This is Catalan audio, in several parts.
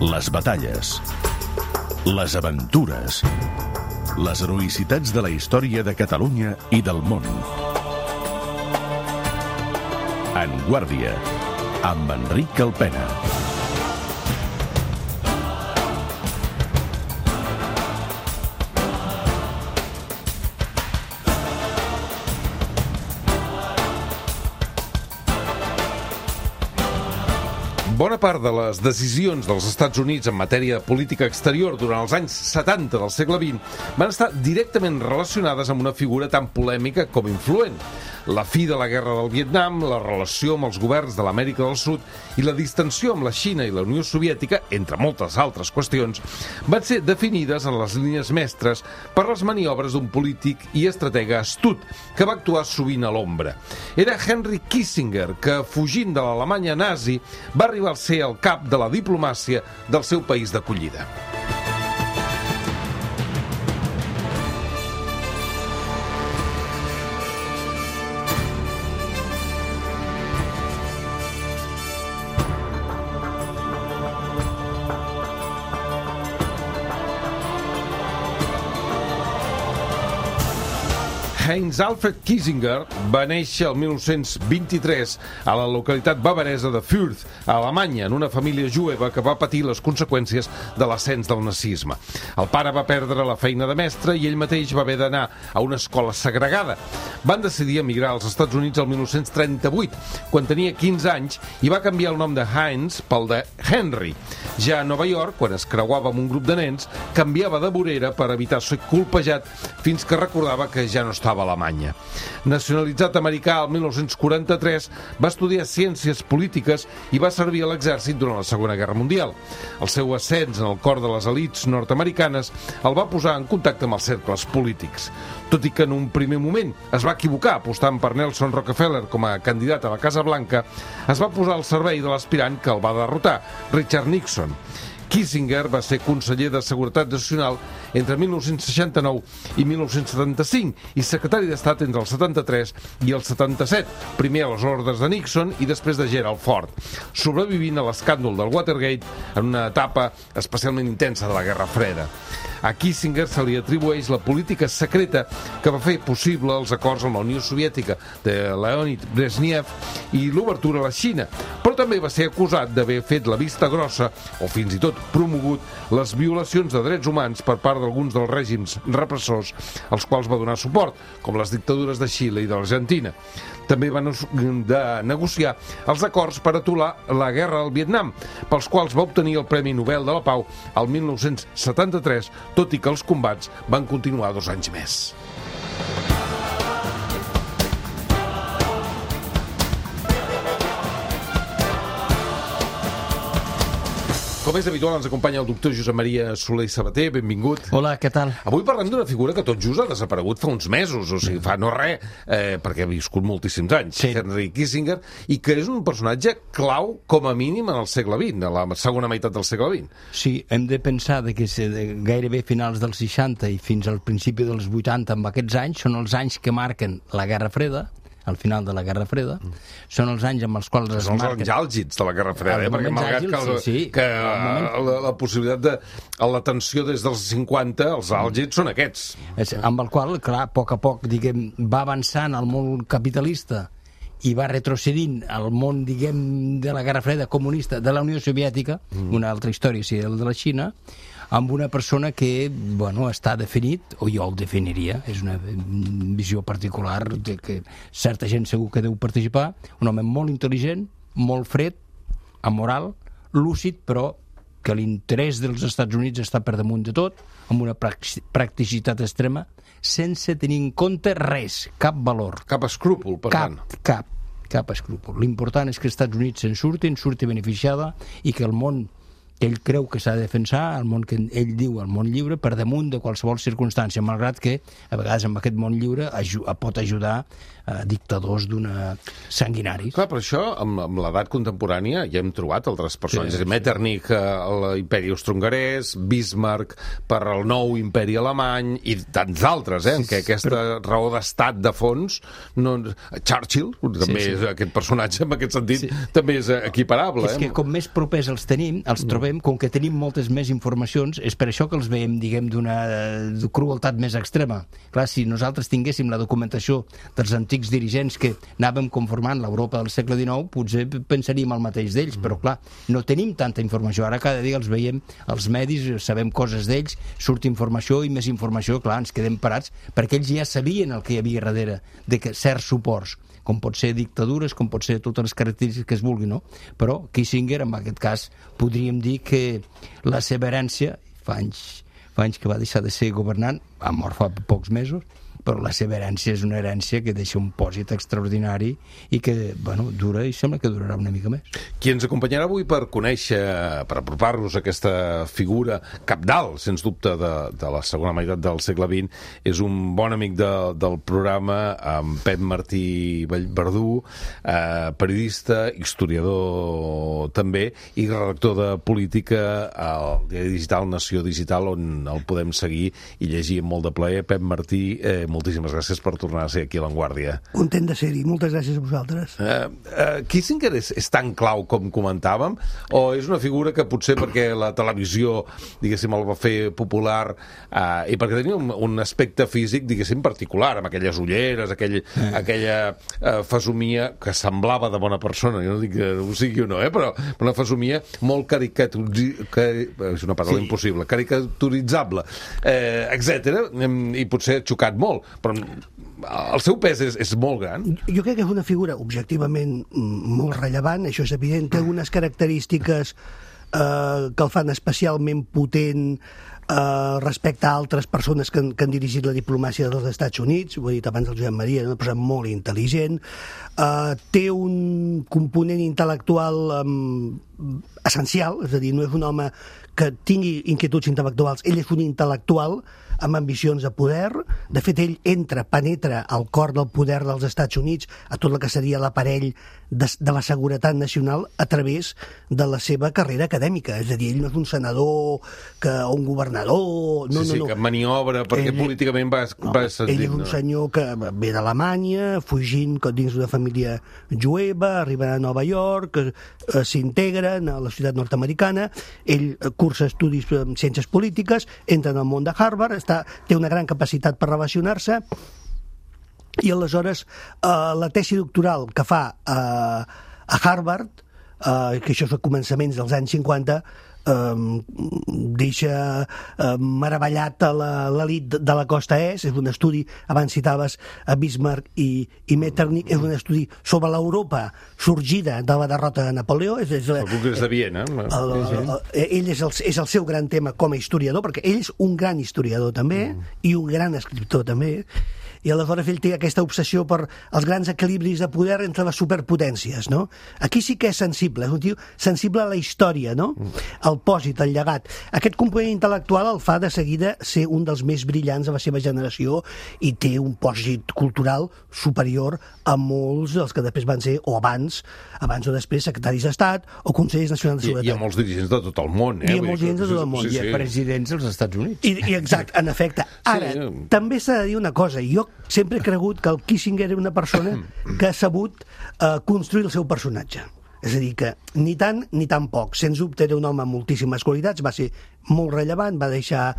Les batalles, les aventures, les heroïcitats de la història de Catalunya i del món. En Guàrdia, amb Enric Alpena. Bona part de les decisions dels Estats Units en matèria de política exterior durant els anys 70 del segle XX van estar directament relacionades amb una figura tan polèmica com influent. La fi de la guerra del Vietnam, la relació amb els governs de l'Amèrica del Sud i la distensió amb la Xina i la Unió Soviètica, entre moltes altres qüestions, van ser definides en les línies mestres per les maniobres d'un polític i estratega astut que va actuar sovint a l'ombra. Era Henry Kissinger, que, fugint de l'Alemanya nazi, va arribar a ser el cap de la diplomàcia del seu país d'acollida. Heinz Alfred Kissinger va néixer el 1923 a la localitat bavaresa de Fürth, a Alemanya, en una família jueva que va patir les conseqüències de l'ascens del nazisme. El pare va perdre la feina de mestre i ell mateix va haver d'anar a una escola segregada. Van decidir emigrar als Estats Units el 1938, quan tenia 15 anys, i va canviar el nom de Heinz pel de Henry. Ja a Nova York, quan es creuava amb un grup de nens, canviava de vorera per evitar ser colpejat fins que recordava que ja no estava a Alemanya. Nacionalitzat americà el 1943, va estudiar ciències polítiques i va servir a l'exèrcit durant la Segona Guerra Mundial. El seu ascens en el cor de les elits nord-americanes el va posar en contacte amb els cercles polítics. Tot i que en un primer moment es va equivocar apostant per Nelson Rockefeller com a candidat a la Casa Blanca, es va posar al servei de l'aspirant que el va derrotar, Richard Nixon. Kissinger va ser conseller de Seguretat Nacional entre 1969 i 1975 i secretari d'Estat entre el 73 i el 77, primer a les ordres de Nixon i després de Gerald Ford, sobrevivint a l'escàndol del Watergate en una etapa especialment intensa de la Guerra Freda. A Kissinger se li atribueix la política secreta que va fer possible els acords amb la Unió Soviètica de Leonid Brezhnev i l'obertura a la Xina, però també va ser acusat d'haver fet la vista grossa o fins i tot promogut les violacions de drets humans per part d'alguns dels règims repressors als quals va donar suport, com les dictadures de Xile i de l'Argentina. També van negociar els acords per aturar la guerra al Vietnam, pels quals va obtenir el Premi Nobel de la Pau el 1973, tot i que els combats van continuar 2 anys més. Com és habitual, ens acompanya el doctor Josep Maria Soler i Sabater. Benvingut. Hola, què tal? Avui parlem d'una figura que tot just ha desaparegut fa uns mesos, o sigui, fa no res, perquè ha viscut moltíssims anys, sí. Henry Kissinger, i que és un personatge clau, com a mínim, en el segle XX, a la segona meitat del segle XX. Sí, hem de pensar que gairebé finals dels 60 i fins al principi dels 80, amb aquests anys, són els anys que marquen la Guerra Freda, al final de la Guerra Freda, són els anys amb els quals es marquen... Són els anys àlgids de la Guerra Freda, perquè malgrat que la possibilitat de la tensió des dels 50, els àlgids són aquests. Amb el qual, clar, a poc, diguem, va avançant el món capitalista i va retrocedint al món, diguem, de la Guerra Freda comunista de la Unió Soviètica, una altra història, sí, el de la Xina, amb una persona que, bueno, està definit, o jo el definiria, és una visió particular de que certa gent segur que deu participar, un home molt intel·ligent, molt fred, amoral, lúcid, però que l'interès dels Estats Units està per damunt de tot, amb una practicitat extrema, sense tenir en compte res, cap valor. Cap escrúpol, per tant. Cap escrúpol. L'important és que els Estats Units se'n surti beneficiada i que el món que ell creu que s'ha de defensar, el món que ell diu el món lliure, per damunt de qualsevol circumstància, malgrat que a vegades amb aquest món lliure pot ajudar dictadors sanguinaris. Clar, per això, amb l'edat contemporània ja hem trobat altres personatges. Sí. Metternich a l'imperi austro-hongarès, Bismarck per al nou imperi alemany i tants altres, en què aquesta raó d'estat de fons Churchill, també és aquest personatge, en aquest sentit, també és equiparable. És que com més propers els trobem, observem, com que tenim moltes més informacions, és per això que els veiem, diguem, d'una crueltat més extrema. Clar, si nosaltres tinguéssim la documentació dels antics dirigents que anàvem conformant l'Europa del segle XIX, potser pensaríem el mateix d'ells, però clar, no tenim tanta informació. Ara cada dia els veiem, els medis, sabem coses d'ells, surt informació i més informació, clar, ens quedem parats, perquè ells ja sabien el que hi havia darrere de certs suports, com pot ser dictadures, com pot ser totes les característiques que es vulgui, no? Però Kissinger, en aquest cas, podríem dir que la seva herència, fa anys que va deixar de ser governant, ha mort fa pocs mesos, però la seva herència és una herència que deixa un pòsit extraordinari i que, bueno, dura i sembla que durarà una mica més. Qui ens acompanyarà avui per conèixer, per apropar-nos a aquesta figura cabdal, sens dubte, de la segona meitat del segle XX, és un bon amic del programa, en Pep Martí Verdú, periodista, historiador també, i redactor de política al diari digital Nació Digital, on el podem seguir i llegir amb molt de plaer. Pep Martí, moltíssimes gràcies per tornar a ser aquí a l'Avantguàrdia. Content de ser-hi, moltes gràcies a vosaltres. Kissinger és tan clau com comentàvem, o és una figura que potser perquè la televisió, diguéssim, el va fer popular i perquè tenia un aspecte físic, diguéssim, particular, amb aquelles ulleres, aquella fesomia que semblava de bona persona, jo no dic que ho sigui o no, però una fesomia molt és una paraula impossible, caricaturitzable, etc. I potser ha xocat molt, però el seu pes és molt gran. Jo crec que és una figura objectivament molt rellevant, això és evident, té algunes característiques que el fan especialment potent respecte a altres persones que han dirigit la diplomàcia dels Estats Units. Ho he dit abans el Josep Maria, una persona molt intel·ligent, té un component intel·lectual essencial, és a dir, no és un home que tingui inquietuds intel·lectuals, ell és un intel·lectual amb ambicions de poder. De fet, ell penetra al cor del poder dels Estats Units, a tot el que seria l'aparell de la seguretat nacional a través de la seva carrera acadèmica. És a dir, ell no és un senador o un governador... No, que maniobra, perquè políticament va sentir. Ell és un senyor que ve d'Alemanya, fugint dins d'una família jueva, arriba a Nova York, s'integren a la ciutat nord-americana, ell cursa estudis en ciències polítiques, entra en el món de Harvard, té una gran capacitat per relacionar-se, i aleshores la tesi doctoral que fa a Harvard, que això és a començaments dels anys 50, deixa meravellat a l'elit de la costa est. És un estudi, abans citaves a Bismarck i Metternich, és un estudi sobre l'Europa sorgida de la derrota de Napoleó. El Congrés de Viena. Ell és el seu gran tema com a historiador, perquè ell és un gran historiador també, i un gran escriptor també, i aleshores ell té aquesta obsessió per els grans equilibris de poder entre les superpotències, no? Aquí sí que és sensible, és un tio sensible a la història, no? El pòsit, el llegat. Aquest component intel·lectual el fa de seguida ser un dels més brillants de la seva generació i té un pòsit cultural superior a molts dels que després van ser, o abans o després, secretaris d'Estat o consellers nacionals de seguretat. I a molts dirigents de tot el món, I a molts dirigents de tot el món. I a presidents dels Estats Units. I exacte, en efecte. Ara, també s'ha de dir una cosa, jo sempre he cregut que el Kissinger era una persona que ha sabut construir el seu personatge. És a dir, que ni tant ni tan poc. Sens dubte era un home amb moltíssimes qualitats, va ser molt rellevant, va deixar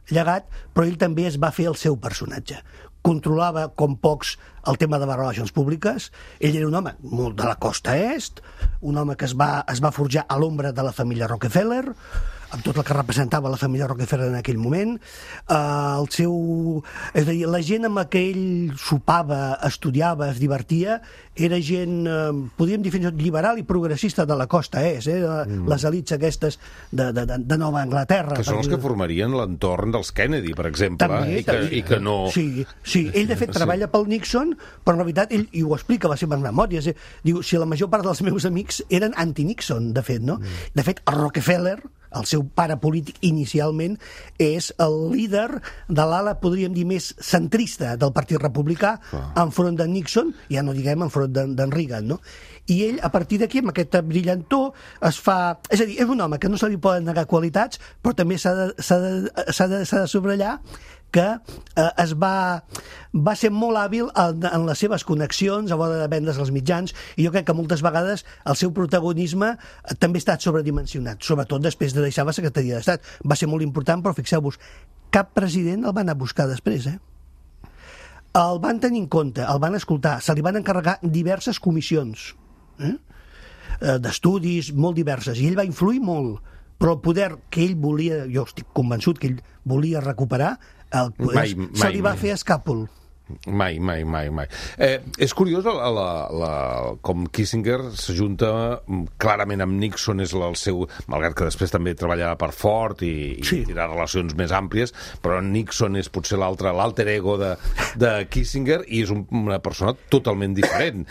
llegat, però ell també es va fer el seu personatge. Controlava com pocs el tema de les relacions públiques. Ell era un home molt de la costa est, un home que es va forjar a l'ombra de la família Rockefeller, amb tot el que representava la família Rockefeller en aquell moment. És a dir, la gent amb la que ell sopava, estudiava, es divertia, era gent, podríem dir fins i tot liberal i progressista de la costa est, les elits aquestes de Nova Anglaterra. Que són els que formarien l'entorn dels Kennedy, per exemple, també, i que no... Sí, ell de fet treballa pel Nixon, però en realitat ell, i ho explica a les seves memòries, diu, si la major part dels meus amics eren anti-Nixon, de fet, no? De fet, el Rockefeller, el seu pare polític inicialment, és el líder de l'ala, podríem dir, més centrista del Partit Republicà, enfront de Nixon, ja no diguem enfront d'en Reagan, no? I ell, a partir d'aquí, amb aquesta brillantor, es fa... És a dir, és un home que no se li poden negar qualitats, però també s'ha de subratllar que va ser molt hàbil en les seves connexions a l'hora de vendre's als mitjans, i jo crec que moltes vegades el seu protagonisme també ha estat sobredimensionat, sobretot després de deixar la secretaria d'Estat. Va ser molt important, però fixeu-vos, cap president el van anar a buscar després, El van tenir en compte, el van escoltar, se li van encarregar diverses comissions d'estudis molt diverses, i ell va influir molt, però el poder que ell volia, jo estic convençut que ell volia recuperar, se li va fer escàpol. Mai. És curiós com Kissinger s'ajunta clarament amb Nixon, és el seu, malgrat que després també treballava per Ford i tindrà relacions més àmplies, però Nixon és potser l'alter ego de Kissinger, i és una persona totalment diferent.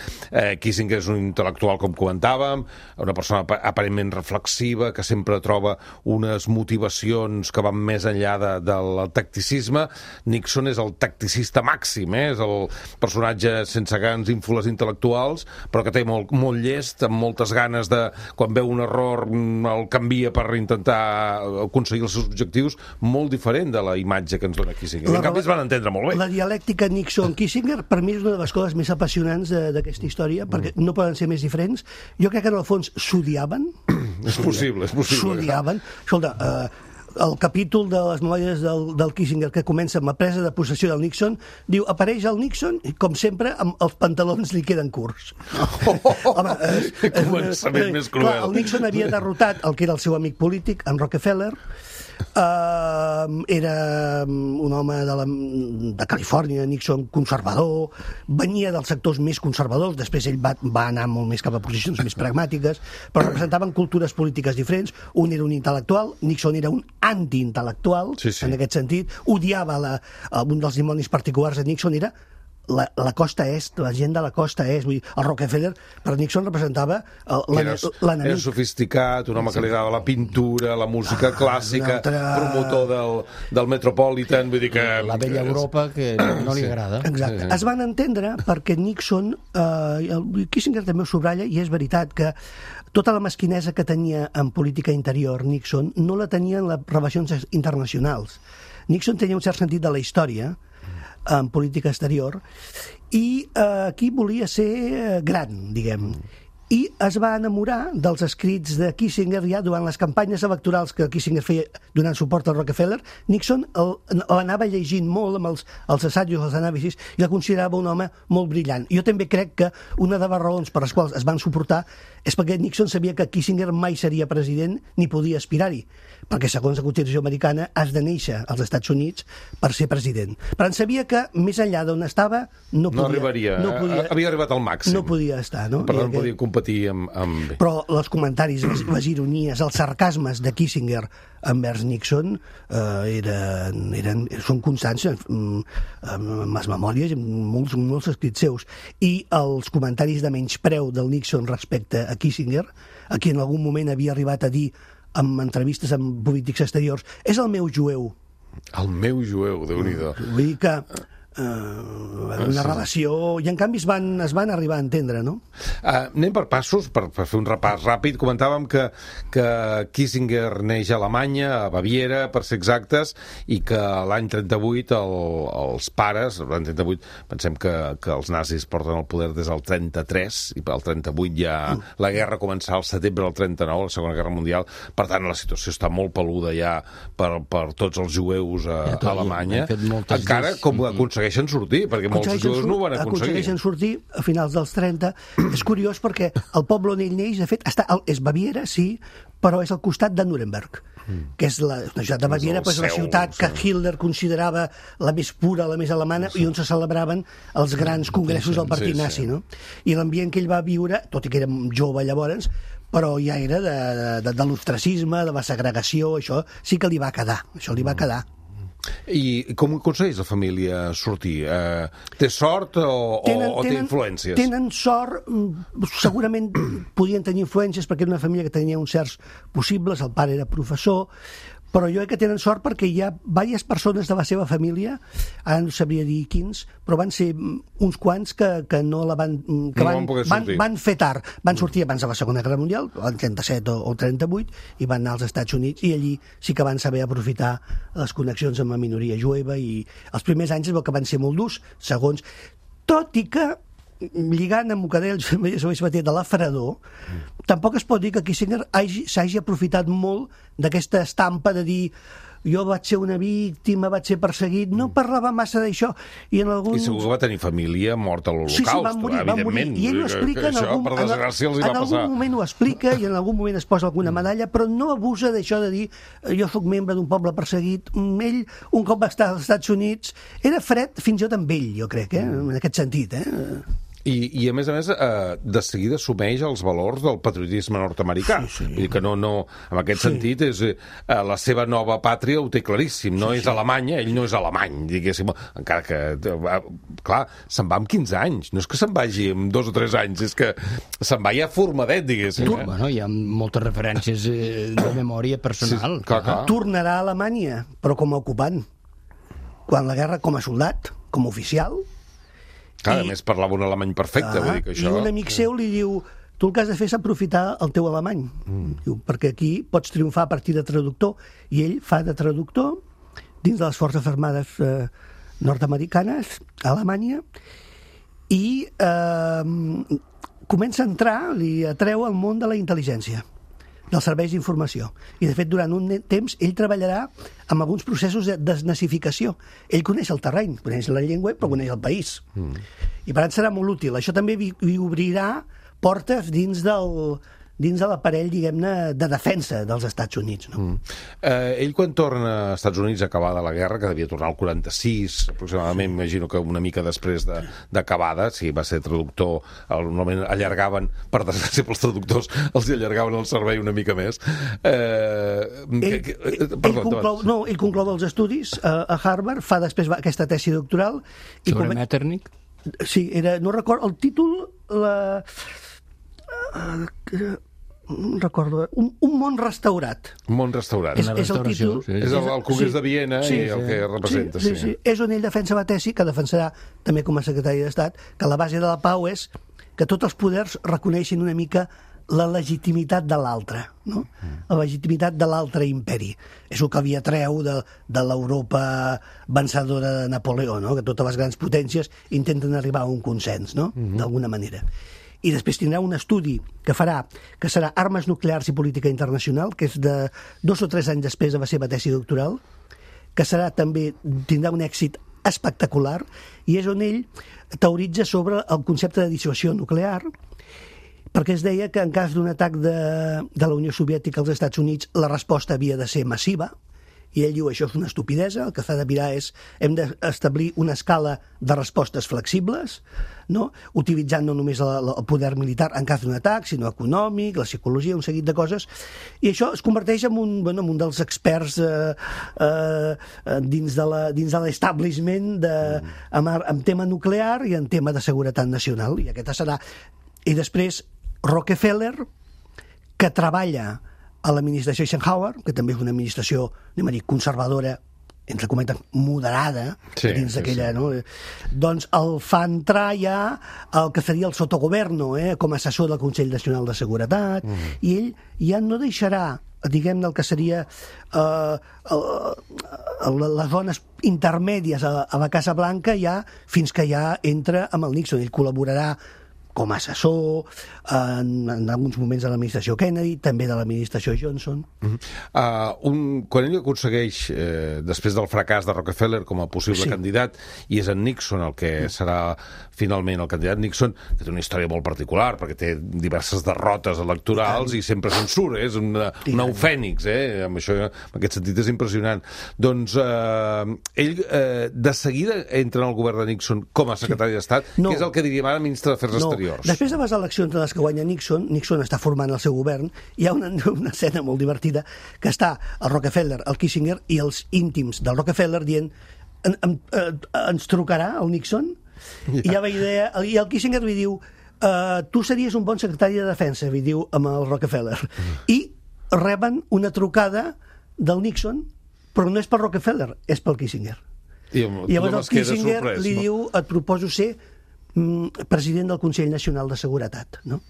Kissinger és un intel·lectual, com comentàvem, una persona aparentment reflexiva, que sempre troba unes motivacions que van més enllà del tacticisme. Nixon és el tacticista màxim, és el personatge sense grans ínfules intel·lectuals, però que té molt llest, amb moltes ganes de, quan veu un error, el canvia per intentar aconseguir els seus objectius, molt diferent de la imatge que ens dona Kissinger. En canvi, es van entendre molt bé. La dialèctica Nixon-Kissinger, per mi, és una de les coses més apassionants d'aquesta història, perquè no poden ser més diferents. Jo crec que, en el fons, s'odiaven. És possible. S'odiaven. Escolta, el capítol de les memòries del Kissinger, que comença amb la presa de possessió del Nixon, diu, apareix el Nixon i, com sempre, amb els pantalons li queden curts. Home, començament més cruel. El Nixon havia derrotat el que era el seu amic polític, en Rockefeller. Era un home de Califòrnia, Nixon, conservador, venia dels sectors més conservadors, després ell va anar molt més cap a posicions més pragmàtiques, però representaven cultures polítiques diferents. Un era un intel·lectual, Nixon era un antiintel·lectual, en aquest sentit, odiava un dels dimonis particulars de Nixon era la costa est, la gent de la costa est. Vull dir, el Rockefeller per Nixon representava l'enemic. Era sofisticat, un home que li agradava la pintura, la música clàssica, promotor del Metropolitan, vull dir que... La vella Europa, que no li agrada. Exacte. Es van entendre perquè Nixon, Kissinger també ho subratlla, i és veritat que tota la mesquinesa que tenia en política interior Nixon no la tenia en les relacions internacionals. Nixon tenia un cert sentit de la història en política exterior, i aquí volia ser gran, diguem, i es va enamorar dels escrits de Kissinger ja durant les campanyes electorals que Kissinger feia donant suport al Rockefeller. Nixon l'anava llegint molt amb els assajos, els anàlisis, i el considerava un home molt brillant. Jo també crec que una de les raons per les quals es van suportar és perquè Nixon sabia que Kissinger mai seria president ni podia aspirar-hi, perquè segons la Constitució americana has de néixer als Estats Units per ser president. Però en sabia que més enllà d'on estava no arribaria, havia arribat al màxim. No podia estar, no? Per tant, podia competir amb... Però els comentaris, les ironies, els sarcasmes de Kissinger envers Nixon són constants en les memòries, en molts escrits seus. I els comentaris de menyspreu del Nixon respecte a Kissinger, a qui en algun moment havia arribat a dir en entrevistes amb polítics exteriors, és el meu jueu. El meu jueu, Déu-n'hi-do. Vull dir que una relació, i en canvi es van arribar a entendre, no? Anem per passos, per fer un repàs ràpid. Comentàvem que Kissinger neix a Alemanya, a Baviera, per ser exactes, i que l'any 38 els pares, l'any 38, pensem que els nazis porten el poder des del 33, i el 38 ja la guerra començà al setembre del 39, la Segona Guerra Mundial, per tant la situació està molt peluda ja per tots els jueus a Alemanya. Encara com aconsegueixen sortir, perquè molts jueus no ho van aconseguir. Aconsegueixen sortir a finals dels 30. És curiós perquè el poble on ell neix, de fet, és Baviera, sí, però és al costat de Nuremberg, que és la ciutat de Baviera, però és la ciutat que Hitler considerava la més pura, la més alemana, i on se celebraven els grans congressos del partit nazi, no? I l'ambient que ell va viure, tot i que era jove llavors, però ja era de l'ostracisme, de la segregació, això sí que li va quedar, I com aconsegueix la família sortir? Té sort o té influències? Tenen sort, segurament podien tenir influències perquè era una família que tenia uns certs possibles, el pare era professor, però jo crec que tenen sort perquè hi ha diverses persones de la seva família, ara no sabria dir quins, però van ser uns quants que no la van... que van fer tard, van sortir abans de la Segona Guerra Mundial, el 37 o 38, i van anar als Estats Units, i allí sí que van saber aprofitar les connexions amb la minoria jueva, i els primers anys es veu que van ser molt durs, segons... Tot i que, lligant amb el que deia el Josep Sabater de l'aferador, tampoc es pot dir que Kissinger s'hagi aprofitat molt d'aquesta estampa de dir jo vaig ser una víctima, vaig ser perseguit, no parlava massa d'això. I segur que va tenir família morta a l'Holocaust, va morir, i ell ho explica, en algun moment ho explica i en algun moment es posa alguna medalla, però no abusa d'això de dir jo sóc membre d'un poble perseguit. Ell, un cop va estar als Estats Units, era fred fins i tot amb ell, jo crec, en aquest sentit, I a més, de seguida assumeix els valors del patriotisme nord-americà. Vull dir que no, en aquest sentit, és la seva nova pàtria ho té claríssim. No és Alemanya, ell no és alemany, diguéssim. Encara que, clar, se'n va amb 15 anys. No és que se'n vagi amb 2 o 3 anys, és que se'n va ja formadet, diguéssim. Bueno, hi ha moltes referències de memòria personal. Sí, clar. Tornarà a Alemanya, però com a ocupant. Quan la guerra, com a soldat, com a oficial... A més parlava un alemany perfecte, vull dir que això... I un amic seu li diu, tu el que has de fer és aprofitar el teu alemany, diu, perquè aquí pots triomfar a partir de traductor, i ell fa de traductor dins de les Forces Armades nord-americanes, a Alemanya, i comença a entrar, li atreu al món de la intel·ligència, dels serveis d'informació. I, de fet, durant un temps, ell treballarà amb alguns processos de desnazificació. Ell coneix el terreny, coneix la llengua, però coneix el país. I per tant serà molt útil. Això també li obrirà portes dins de l'aparell, diguem-ne, de defensa dels Estats Units. No? Ell, quan torna als Estats Units acabada la guerra, que devia tornar al 46, aproximadament, imagino que una mica després d'acabada, si va ser traductor, normalment allargaven, per desgràcia pels traductors, els allargaven el servei una mica més. Ell conclou els estudis a Harvard, fa després aquesta tesi doctoral... Sobre Metternich? Sí, no recordo, el títol... no recordo, un món restaurat. Un món restaurat. És el títol. És el Congrés de Viena i el que representa. Sí. És on ell defensa la tesi, que defensarà també com a secretari d'Estat, que la base de la pau és que tots els poders reconeixin una mica la legitimitat de l'altre, no? La legitimitat de l'altre imperi. És el que havia treu de l'Europa vencedora de Napoleó, no? Que totes les grans potències intenten arribar a un consens, no? D'alguna manera. I després tindrà un estudi que farà, que serà Armes nuclears i política internacional, que és de 2 o 3 anys després de la seva tesi doctoral, que serà també, tindrà un èxit espectacular, i és on ell teoritza sobre el concepte de dissuasió nuclear, perquè es deia que en cas d'un atac de la Unió Soviètica als Estats Units la resposta havia de ser massiva, i ell diu això és una estupidesa, el que s'ha de mirar és hem d'establir una escala de respostes flexibles, no? Utilitzant no només el poder militar en cas d'un atac, sinó econòmic, la psicologia, un seguit de coses, i això es converteix en un dels experts dins de l'establishment en tema nuclear i en tema de seguretat nacional, i aquesta serà... I després Rockefeller, que treballa a l'administració Eisenhower, que també és una administració, anem a dir, conservadora, entre cometes, moderada, dins d'aquella... No? Doncs el fa entrar ja el que seria el sotogoverno, com a assessor del Consell Nacional de Seguretat, i ell ja no deixarà, diguem-ne, el que seria les zones intermèdies a la Casa Blanca ja fins que ja entra amb el Nixon. Ell col·laborarà com a assessor en alguns moments de l'administració Kennedy, també de l'administració Johnson. Quan ell aconsegueix, després del fracàs de Rockefeller com a possible candidat, i és en Nixon el que serà finalment el candidat Nixon, que té una història molt particular, perquè té diverses derrotes electorals i sempre se'n surt, és un nou fènix, en aquest sentit és impressionant. Doncs ell de seguida entra en el govern de Nixon com a secretari d'Estat, que és el que diríem ara ministre d'Afers Exteriors. Després de les eleccions en les que guanya Nixon està formant el seu govern, hi ha una escena molt divertida que està el Rockefeller, el Kissinger i els íntims del Rockefeller dient ens trucarà el Nixon? I hi ha la idea, i el Kissinger li diu tu series un bon secretari de defensa, li diu amb el Rockefeller. I reben una trucada del Nixon, però no és per Rockefeller, és pel Kissinger. I llavors el Kissinger li diu, et proposo ser president del Consell Nacional de Seguretat, no?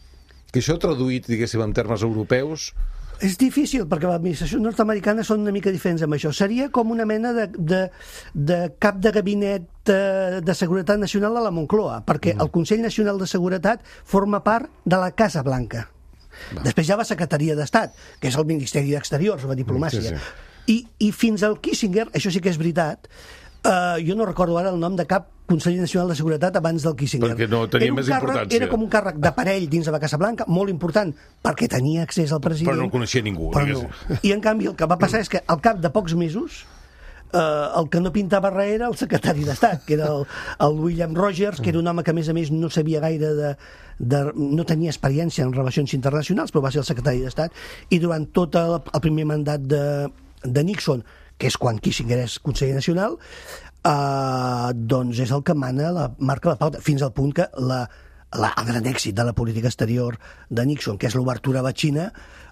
Que això traduït, diguéssim, en termes europeus... És difícil, perquè les administracions nord-americanes són una mica diferents amb això. Seria com una mena de cap de gabinet de seguretat nacional a la Moncloa, perquè el Consell Nacional de Seguretat forma part de la Casa Blanca. Després hi ha la Secretaria d'Estat, que és el Ministeri d'Exteriors, la diplomàcia. I fins al Kissinger, això sí que és veritat, jo no recordo ara el nom de cap Consell Nacional de Seguretat abans del Kissinger. Perquè no tenia més importància. Era com un càrrec d'aparell dins de la Casa Blanca, molt important, perquè tenia accés al president. Però no el coneixia ningú. No. I en canvi el que va passar és que al cap de pocs mesos el que no pintava res era el secretari d'Estat, que era el William Rogers, que era un home que a més no sabia gaire no tenia experiència en relacions internacionals, però va ser el secretari d'Estat, i durant tot el primer mandat de Nixon, que és quan Kissinger és conseller nacional, doncs és el que marca la pauta, fins al punt que el gran èxit de la política exterior de Nixon, que és l'obertura a la Xina,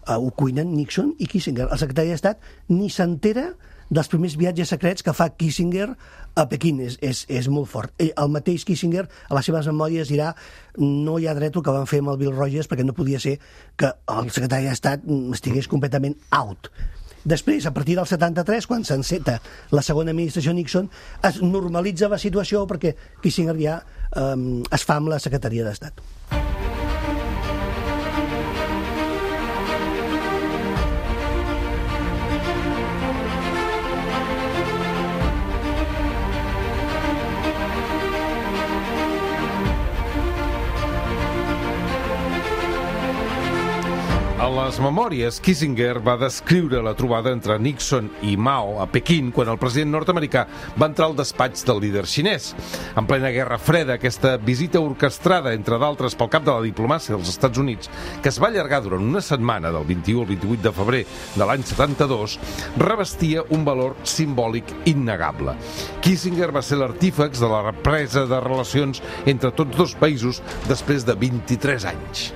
ho cuinen Nixon i Kissinger. El secretari d'Estat ni s'entera dels primers viatges secrets que fa Kissinger a Pequín. És molt fort. El mateix Kissinger, a les seves memòries, dirà no hi ha dret el que van fer amb el Bill Rogers, perquè no podia ser que el secretari d'Estat estigués completament out. Després, a partir del 73, quan s'enceta la segona administració Nixon, es normalitza la situació perquè Kissinger ja es fa amb la secretaria d'Estat. A les memòries, Kissinger va descriure la trobada entre Nixon i Mao a Pequín quan el president nord-americà va entrar al despatx del líder xinès. En plena Guerra Freda, aquesta visita orquestrada, entre d'altres, pel cap de la diplomàcia dels Estats Units, que es va allargar durant una setmana, del 21 al 28 de febrer de l'any 72, revestia un valor simbòlic innegable. Kissinger va ser l'artífex de la represa de relacions entre tots dos països després de 23 anys.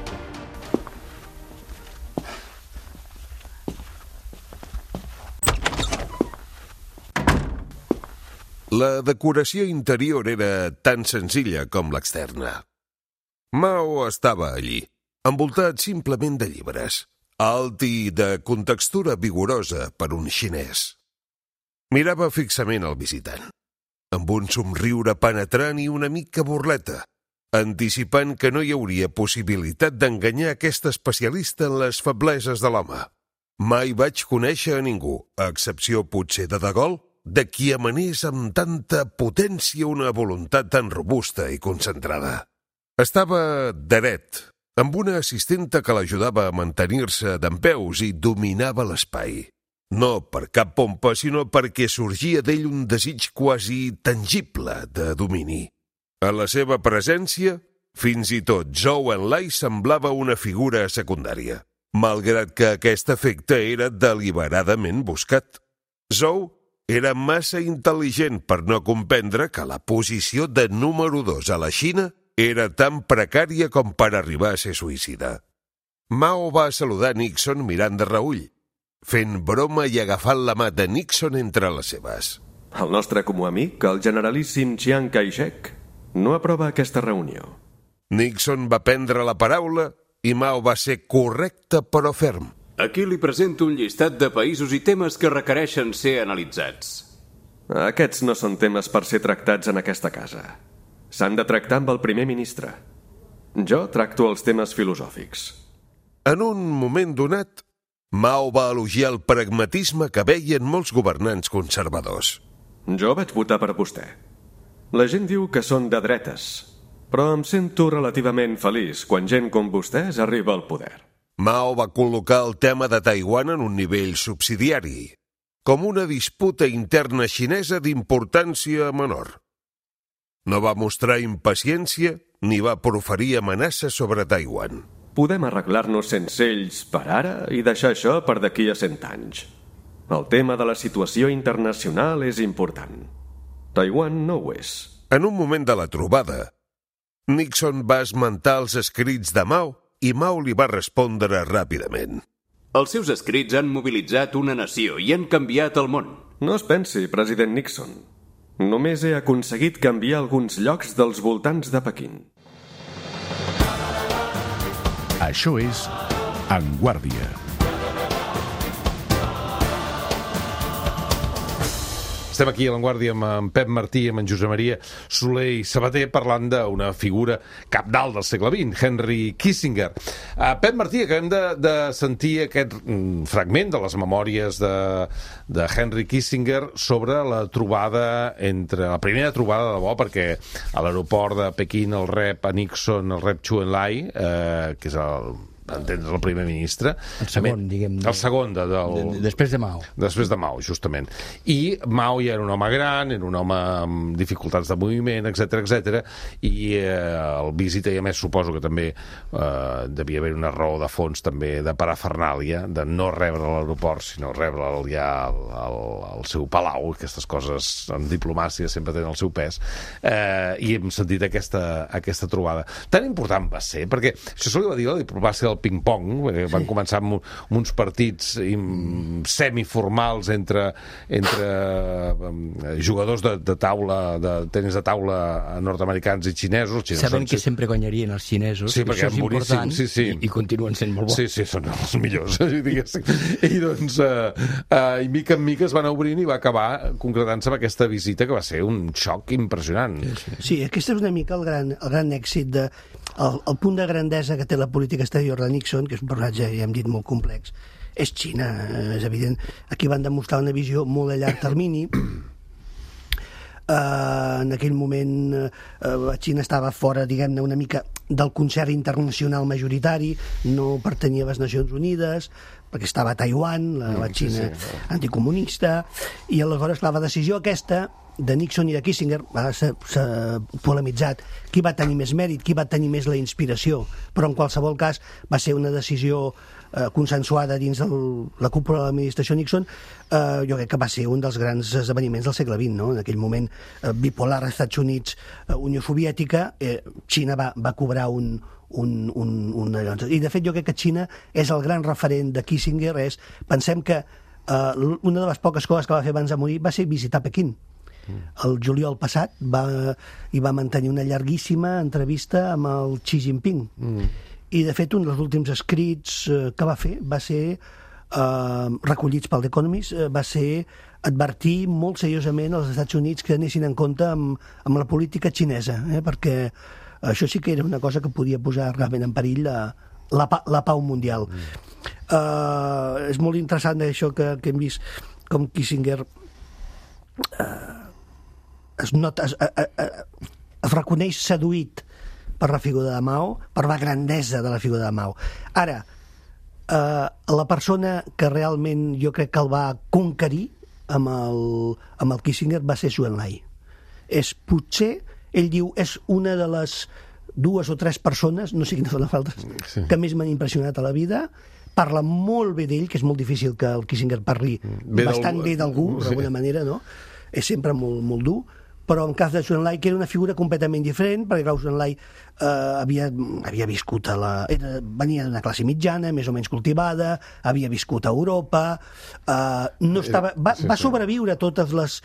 La decoració interior era tan senzilla com l'externa. Mao estava allí, envoltat simplement de llibres, alt i de contextura vigorosa per un xinès. Mirava fixament el visitant, amb un somriure penetrant i una mica burleta, anticipant que no hi hauria possibilitat d'enganyar aquest especialista en les febleses de l'home. Mai vaig conèixer a ningú, a excepció potser de Gaulle, de qui emanés amb tanta potència una voluntat tan robusta i concentrada. Estava dret, amb una assistenta que l'ajudava a mantenir-se dempeus i dominava l'espai. No per cap pompa, sinó perquè sorgia d'ell un desig quasi tangible de domini. A la seva presència, fins i tot Zhou Enlai semblava una figura secundària, malgrat que aquest efecte era deliberadament buscat. Zhou era massa intel·ligent per no comprendre que la posició de número 2 a la Xina era tan precària com per arribar a ser suïcida. Mao va saludar Nixon mirant de reüll, fent broma i agafant la mà de Nixon entre les seves. El nostre comú amic, el generalíssim Chiang Kai-shek, no aprova aquesta reunió. Nixon va prendre la paraula i Mao va ser correcte però ferm. Aquí li presento un llistat de països i temes que requereixen ser analitzats. Aquests no són temes per ser tractats en aquesta casa. S'han de tractar amb el primer ministre. Jo tracto els temes filosòfics. En un moment donat, Mao va elogiar el pragmatisme que veien molts governants conservadors. Jo vaig votar per vostè. La gent diu que són de dretes, però em sento relativament feliç quan gent com vostès arriba al poder. Mao va col·locar el tema de Taiwan en un nivell subsidiari, com una disputa interna xinesa d'importància menor. No va mostrar impaciència ni va proferir amenaces sobre Taiwan. Podem arreglar-nos sense ells per ara i deixar això per d'aquí a 100 anys. El tema de la situació internacional és important. Taiwan no ho és. En un moment de la trobada, Nixon va esmentar els escrits de Mao i Mao li va respondre ràpidament. Els seus escrits han mobilitzat una nació i han canviat el món. No es pensi, president Nixon. Només he aconseguit canviar alguns llocs dels voltants de Pequín. Això és En Guàrdia. Estem aquí a l'Avantguàrdia amb en Pep Martí, amb en Josep Maria Soler i Sabater, parlant d'una figura cabdal del segle XX, Henry Kissinger. Pep Martí, acabem de sentir aquest fragment de les memòries de Henry Kissinger sobre la primera trobada de debò, perquè a l'aeroport de Pequín el rep a Nixon, el rep Zhou Enlai, que és el primer ministre. El segon, diguem. El segon, després de Mao. Després de Mao, justament. I Mao ja era un home gran, era un home amb dificultats de moviment, etc i el visita, i a més suposo que també devia haver una raó de fons també de parafernàlia, de no rebre a l'aeroport, sinó rebre'l ja al seu palau. Aquestes coses en diplomàcia sempre tenen el seu pes. I hem sentit aquesta trobada. Tan important va ser, perquè això se li va dir la diplomàcia del ping-pong, van començar amb uns partits semiformals entre jugadors de taula, de tenis de taula nord-americans i xinesos. Sabent que sempre guanyarien els xinesos, sí, perquè això és important, i continuen sent molt bons. Sí, són els millors. I doncs, i mica en mica es van obrint i va acabar concretant-se amb aquesta visita, que va ser un xoc impressionant. Sí, aquest és una mica el gran èxit el punt de grandesa que té la política exterior de Nixon, que és un personatge, ja hem dit, molt complex, és Xina, és evident. Aquí van demostrar una visió molt a llarg termini. En aquell moment Xina estava fora, diguem-ne, una mica del concert internacional majoritari, no pertanyia a les Nacions Unides, perquè estava a Taiwan, la Xina anticomunista, i aleshores la decisió aquesta de Nixon i de Kissinger s'ha polemitzat qui va tenir més mèrit, qui va tenir més la inspiració, però en qualsevol cas va ser una decisió consensuada dins la cúpula de l'administració Nixon. Jo crec que va ser un dels grans esdeveniments del segle XX, no? En aquell moment bipolar, Estats Units, Unió Soviètica, Xina va cobrar i de fet jo crec que Xina és el gran referent de Kissinger. Pensem que una de les poques coses que va fer abans de morir va ser visitar Pequín. El juliol passat va mantenir una llarguíssima entrevista amb el Xi Jinping. I de fet un dels últims escrits que va fer va ser recollits pel The Economist, va ser advertir molt seriosament als Estats Units que anessin en compte amb la política xinesa, perquè això sí que era una cosa que podia posar realment en perill la pau mundial. És molt interessant això que hem vist com Kissinger es reconeix seduït per la figura de Mao, per la grandesa de la figura de Mao. Ara, la persona que realment jo crec que el va conquerir amb el Kissinger va ser Zhou Enlai. Potser, ell diu, és una de les 2 o 3 persones, no sé quines són les altres, que més m'han impressionat a la vida. Parla molt bé d'ell, que és molt difícil que el Kissinger parli bastant bé d'algú, d'alguna manera, no? És sempre molt, molt dur, però en cas de Zhou Enlai, que era una figura completament diferent, perquè Zhou Enlai havia viscut venia d'una classe mitjana, més o menys cultivada, havia viscut a Europa, va sobreviure totes les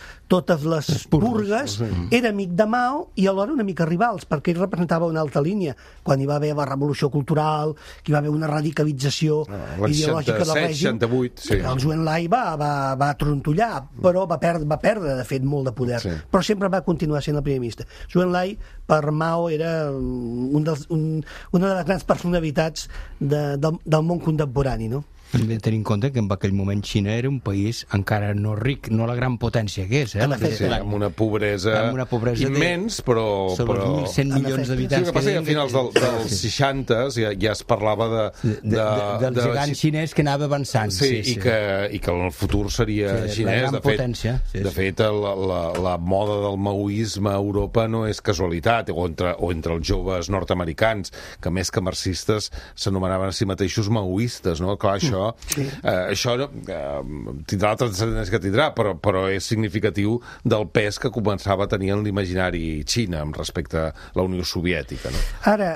purgues, era amic de Mao i alhora una mica rivals, perquè ell representava una altra línia. Quan hi va haver la revolució cultural, que hi va haver una radicalització ideològica del règim, el Zhou Enlai va trontollar, però va perdre, de fet, molt de poder. Però sempre va continuar sent el primer ministre. Zhou Enlai, per Mao, era una de les grans personalitats del món contemporani, no? Hem de tenir en compte que en aquell moment Xina era un país encara no ric, no la gran potència que és. Amb una pobresa immens, però... Sobre els 1.100 milions d'habitants. Sí, el que passa que a finals dels 60 ja es parlava del gegant xinès que anava avançant. Sí, i que en el futur seria xinès. De fet, la moda del maoisme a Europa no és casualitat, o entre els joves nord-americans, que més que marxistes s'anomenaven a si mateixos maoistes, no? Clar, això no? Sí. Això tindrà la transcendència que tindrà, però és significatiu del pes que començava a tenir en l'imaginari Xina amb respecte a la Unió Soviètica, no? Ara,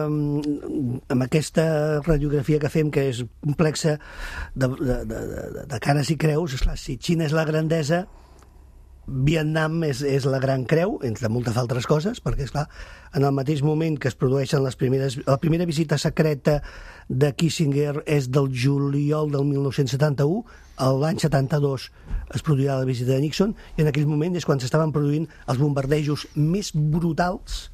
amb aquesta radiografia que fem, que és complexa de cares i creus, esclar, si Xina és la grandesa, Vietnam és la gran creu, entre moltes altres coses, perquè, esclar, en el mateix moment que es produeixen la primera visita secreta de Kissinger és del juliol del 1971, l'any 72 es produirà la visita de Nixon, i en aquell moment és quan s'estaven produint els bombardejos més brutals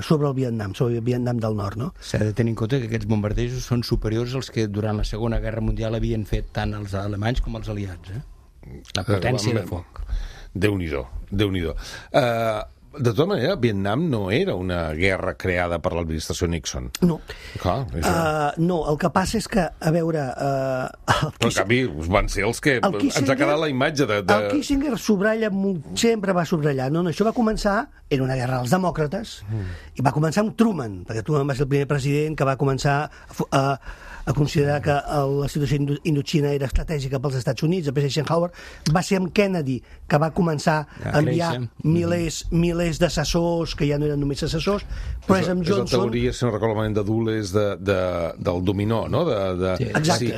sobre el Vietnam, sobre el Vietnam del Nord, no? S'ha de tenir en compte que aquests bombardejos són superiors als que durant la Segona Guerra Mundial havien fet tant els alemanys com els aliats, La potència de foc. Déu-n'hi-do, Déu-n'hi-do. De tota manera, Vietnam no era una guerra creada per l'administració Nixon. No. No, el que passa és que, a veure... Però en canvi van ser els que ens ha quedat la imatge de... El Kissinger sempre va subratllar. No, això va començar, era una guerra dels demòcrates, i va començar amb Truman, perquè Truman va ser el primer president que va començar a considerar que la situació Indoxina era estratègica pels Estats Units. Després Eisenhower va ser amb Kennedy, que va començar a enviar milers d'assessors, que ja no eren només assessors, però és amb Johnson... És la teoria, si no recordo malament, de Dulles del dominó, no? Exacte.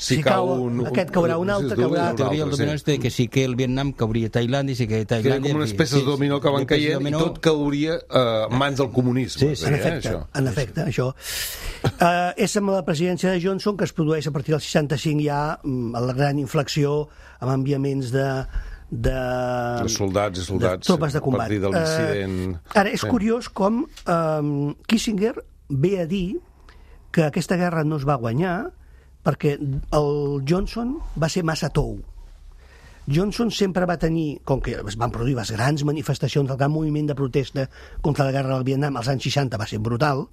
Si cau un... Aquest caurà un altre, caurà... La teoria del dominó és que si caia el Vietnam, cauria Tailàndia, i si caia Tailàndia... Que com unes peces de dominó que van caient i tot cauria en mans del comunisme. En efecte, això. És amb la presidència de Johnson que es produeix a partir del 65 ja la gran inflexió amb enviaments de soldats i soldats, tropes de combat. A partir de l'incident... Ara, és curiós com Kissinger ve a dir que aquesta guerra no es va guanyar perquè el Johnson va ser massa tou. Johnson sempre va tenir, com que es van produir les grans manifestacions, el gran moviment de protesta contra la guerra del Vietnam als anys 60 va ser brutal,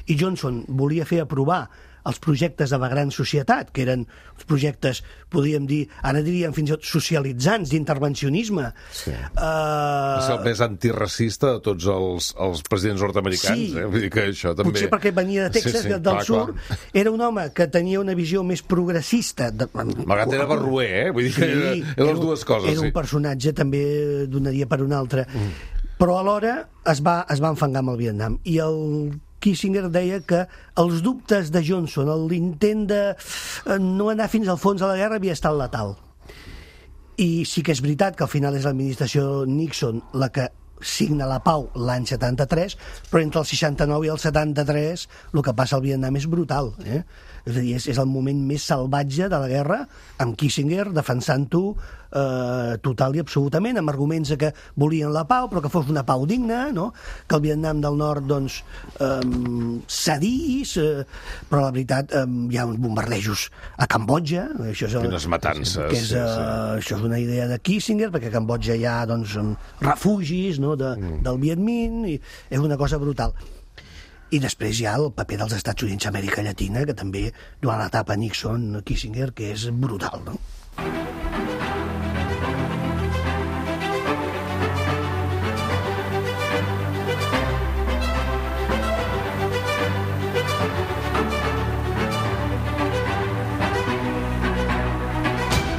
i Johnson volia fer aprovar els projectes de la gran societat, que eren els projectes, podríem dir, ara diríem fins i tot socialitzants, d'intervencionisme. Sí. És el més antiracista de tots els presidents nord-americans. Sí. Vull dir que això també... Potser perquè venia de Texas, del sur. Era un home que tenia una visió més progressista. Malgrat era barruer, Vull dir que eren les dues coses. Era un personatge, també donaria per un altre. Però alhora es va enfangar amb el Vietnam. I el Kissinger deia que els dubtes de Johnson, l'intent de no anar fins al fons de la guerra havia estat letal. I sí que és veritat que al final és l'administració Nixon la que signa la pau l'any 73, però entre el 69 i el 73 el que passa al Vietnam és brutal. És a dir, és el moment més salvatge de la guerra, amb Kissinger defensant-ho total i absolutament, amb arguments que volien la pau, però que fos una pau digna, no? Que el Vietnam del Nord doncs, cedís, però la veritat hi ha uns bombardejos a Cambodja. Quines matances. Això és una idea de Kissinger, perquè a Cambodja hi ha doncs, refugis, no? Del Viet Minh, i és una cosa brutal. I després hi ha el paper dels Estats Units a Amèrica Llatina, que també durant l'etapa Nixon-Kissinger, que és brutal, no?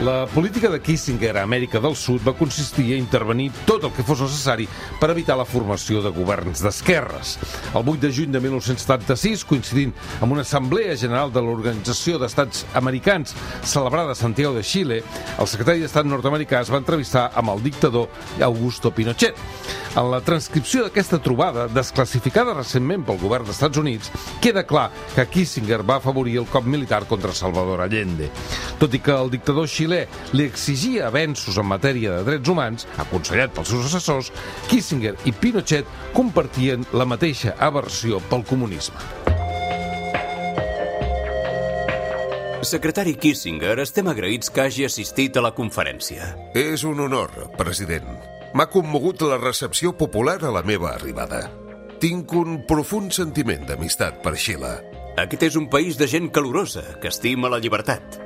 La política de Kissinger a Amèrica del Sud va consistir a intervenir tot el que fos necessari per evitar la formació de governs d'esquerres. El 8 de juny de 1976, coincidint amb una assemblea general de l'Organització d'Estats Americans celebrada a Santiago de Xile, el secretari d'Estat nord-americà es va entrevistar amb el dictador Augusto Pinochet. En la transcripció d'aquesta trobada, desclassificada recentment pel govern dels Estats Units, queda clar que Kissinger va afavorir el cop militar contra Salvador Allende. Tot i que el dictador xilè li exigia avenços en matèria de drets humans, aconsellat pels seus assessors, Kissinger i Pinochet compartien la mateixa aversió pel comunisme. Secretari Kissinger, estem agraïts que hagi assistit a la conferència. És un honor, president. M'ha commogut la recepció popular a la meva arribada. Tinc un profund sentiment d'amistat per Xile. Aquest és un país de gent calorosa, que estima la llibertat.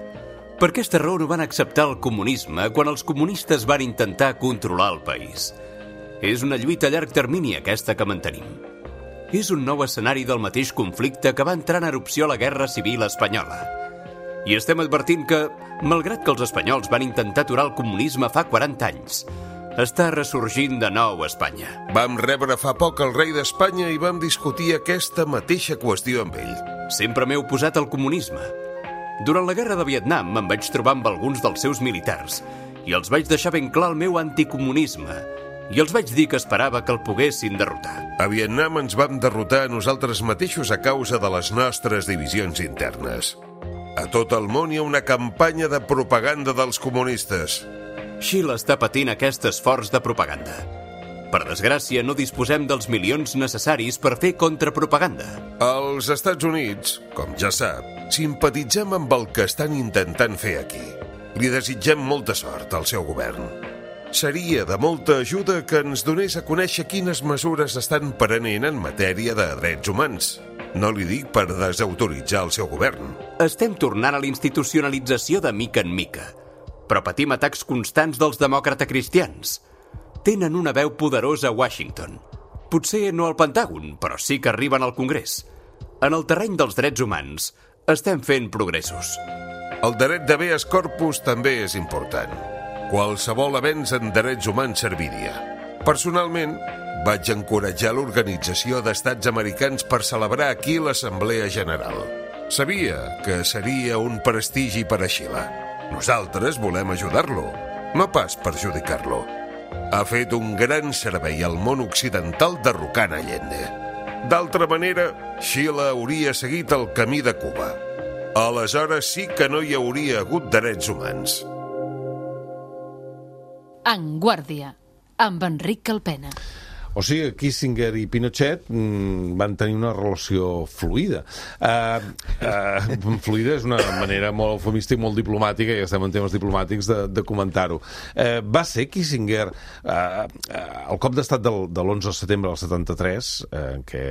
Per aquesta raó no van acceptar el comunisme quan els comunistes van intentar controlar el país. És una lluita a llarg termini aquesta que mantenim. és un nou escenari del mateix conflicte que va entrar en erupció a la Guerra Civil Espanyola. I estem advertint que, malgrat que els espanyols van intentar aturar el comunisme fa 40 anys, està ressorgint de nou a Espanya. Vam rebre fa poc el rei d'Espanya i vam discutir aquesta mateixa qüestió amb ell. Sempre m'he oposat al comunisme. Durant la guerra de Vietnam em vaig trobar amb alguns dels seus militars i els vaig deixar ben clar el meu anticomunisme i els vaig dir que esperava que el poguessin derrotar. A Vietnam ens vam derrotar a nosaltres mateixos a causa de les nostres divisions internes. A tot el món hi ha una campanya de propaganda dels comunistes. Xile està patint aquest esforç de propaganda. Per desgràcia, no disposem dels milions necessaris per fer contrapropaganda. Als Estats Units, com ja sap, simpatitzem amb el que estan intentant fer aquí. Li desitgem molta sort al seu govern. Seria de molta ajuda que ens donés a conèixer quines mesures estan prenent en matèria de drets humans. No li dic per desautoritzar el seu govern. Estem tornant a la institucionalització de mica en mica, però patim atacs constants dels demòcrata-cristians. Tenen una veu poderosa a Washington. Potser no al Pentàgon, però sí que arriben al Congrés. En el terreny dels drets humans estem fent progressos. El dret d'habeas corpus també és important. Qualsevol avenç en drets humans serviria. Personalment, vaig encoratjar l'Organització d'Estats Americans per celebrar aquí l'Assemblea General. Sabia que seria un prestigi per a Xile. Nosaltres volem ajudar-lo, no pas perjudicar-lo. Ha fet un gran servei al món occidental derrocant Allende. D'altra manera, Xile hauria seguit el camí de Cuba. Aleshores sí que no hi hauria hagut drets humans. En Guàrdia, amb Enric Calpena. O sigui, Kissinger i Pinochet van tenir una relació fluida. Fluida és una manera molt eufemista i molt diplomàtica, ja estem en temes diplomàtics, de comentar-ho. Va ser Kissinger el cop d'estat de l'11 de setembre del 73, en què